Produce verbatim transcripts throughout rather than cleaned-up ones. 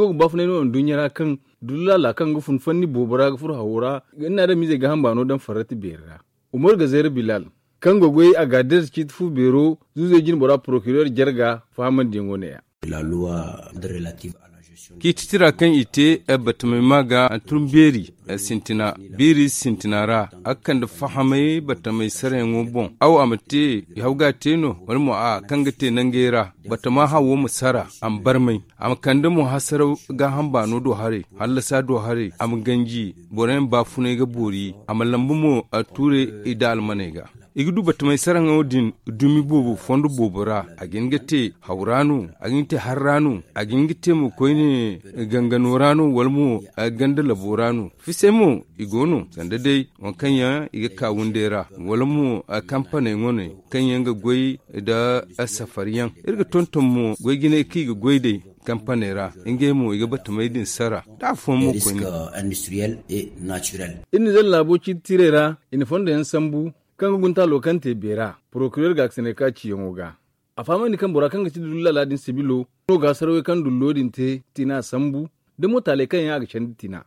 Wo ga baafunay no nduɲɲa ra kaŋ dullu laala kaŋ ga fun fanni boobo ra ga furo hawo ra, nga adamiizey ga hamba no daŋ farrati beeri ra. Umar gazeera bilal, kaŋ go ga goy a ga a dirza ciiti fu beero zuuzey jine bora porokireer jarga fahamandiyaŋo ne-ya. Ciiti tira kaŋ i te batamay ma ga hantum beeri sintina, biiri sintina ra, a ga kande fahamay batamay sarayaŋo boŋ. Aw a ma te i haw ga a te no, wala mo a kaŋ ga te nangey ra batama hawo ma sara a ma barmay, a ma kande mo hasaraw gaaham baano do haray, hallasa do haray, a ma ganji boro yaŋ baafunay ga boori, a ma lambu mo a tuure i da almaney ga. I ga du batamay saraŋo din dumi boobo fondo boobo ra. A ga hin ga te haw ra no, a ga hin ga te har ra no, a ga hin ga te mo koyne gangano ra no, wala mo ganda labo ra no. Fisay mo i go no sanda day waŋ kaŋ yaŋ i ga ka windey ra, wala mo kampaney wane kaŋ yaŋ ga goy nda safari yaŋ. Iri ga tonton mo goy jinay kaŋ i ga goy day kampaney ra, ngey mo i ga batamay din sara da afooyaŋ mo koyne. Iri na zalla laabo ciiti tiirey ra, i na fondo yaŋ sambu kaŋ ga gunta lookante beera porokireer ga ga sinay ka ciyaŋo ga. A fahamandi kaŋ bora kaŋ ga ti dullu laala din sibilo no ga hasarawey kaŋ dullo din te tina sambu da mo taaley kaŋ yaŋ a ga candi tina.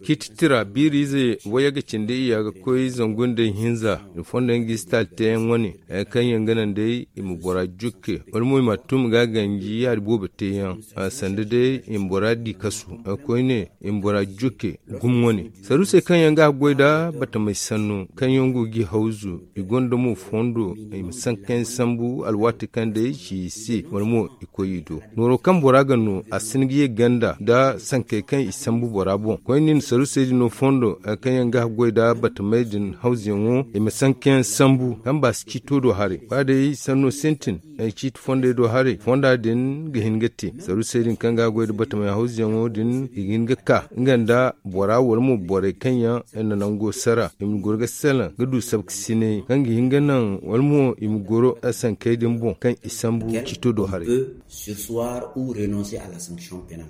Ciiti tira biiri ize wayye ga cindi iyya ga koy zangu nda ihinza, i fondo yaŋ ga i si taali teeyaŋ wane, kaŋ yaŋ ga naŋ day i ma bora jukke wala mo i ma a tun ga ganji yaadi boobo teeyaŋ, sanda day i ma bora di kasu, koyne i ma bora jukke gumo wane. Saruusey kaŋ yaŋ ga a goy nda batamay sanno kaŋ yaŋ go ga i hawzu, i gonda mo fondo i ma sankayaŋ sambu alwaati kaŋ day i ci i se wala mo i koy i do. Nooro kaŋ bora ga no a si hin ga ye ganda nda sankey kaŋ i sambu bora boŋ. Koyne i na saruusey din no fondo kaŋ yaŋ ga a goy nda batamay din hawzuyaŋo i ma sankayaŋ sambu kaŋ ba si ciito do haray ba day sanno sintin. Ciiti fondey do haray fonda din ga hin ga te saruusey din kaŋ ga a goy nda batamay hawzuyaŋo din i ga hin ga ka nga nda bora wala mo borey kaŋ yaŋ na nango sara i ma goro ga salaŋ ga du sabkasinay kaŋ ga hin ga naŋ wala mo i ma goro sankey din boŋ kaŋ i sambu ciito do haray. Sur soir ou renoncer à la sanction pénale.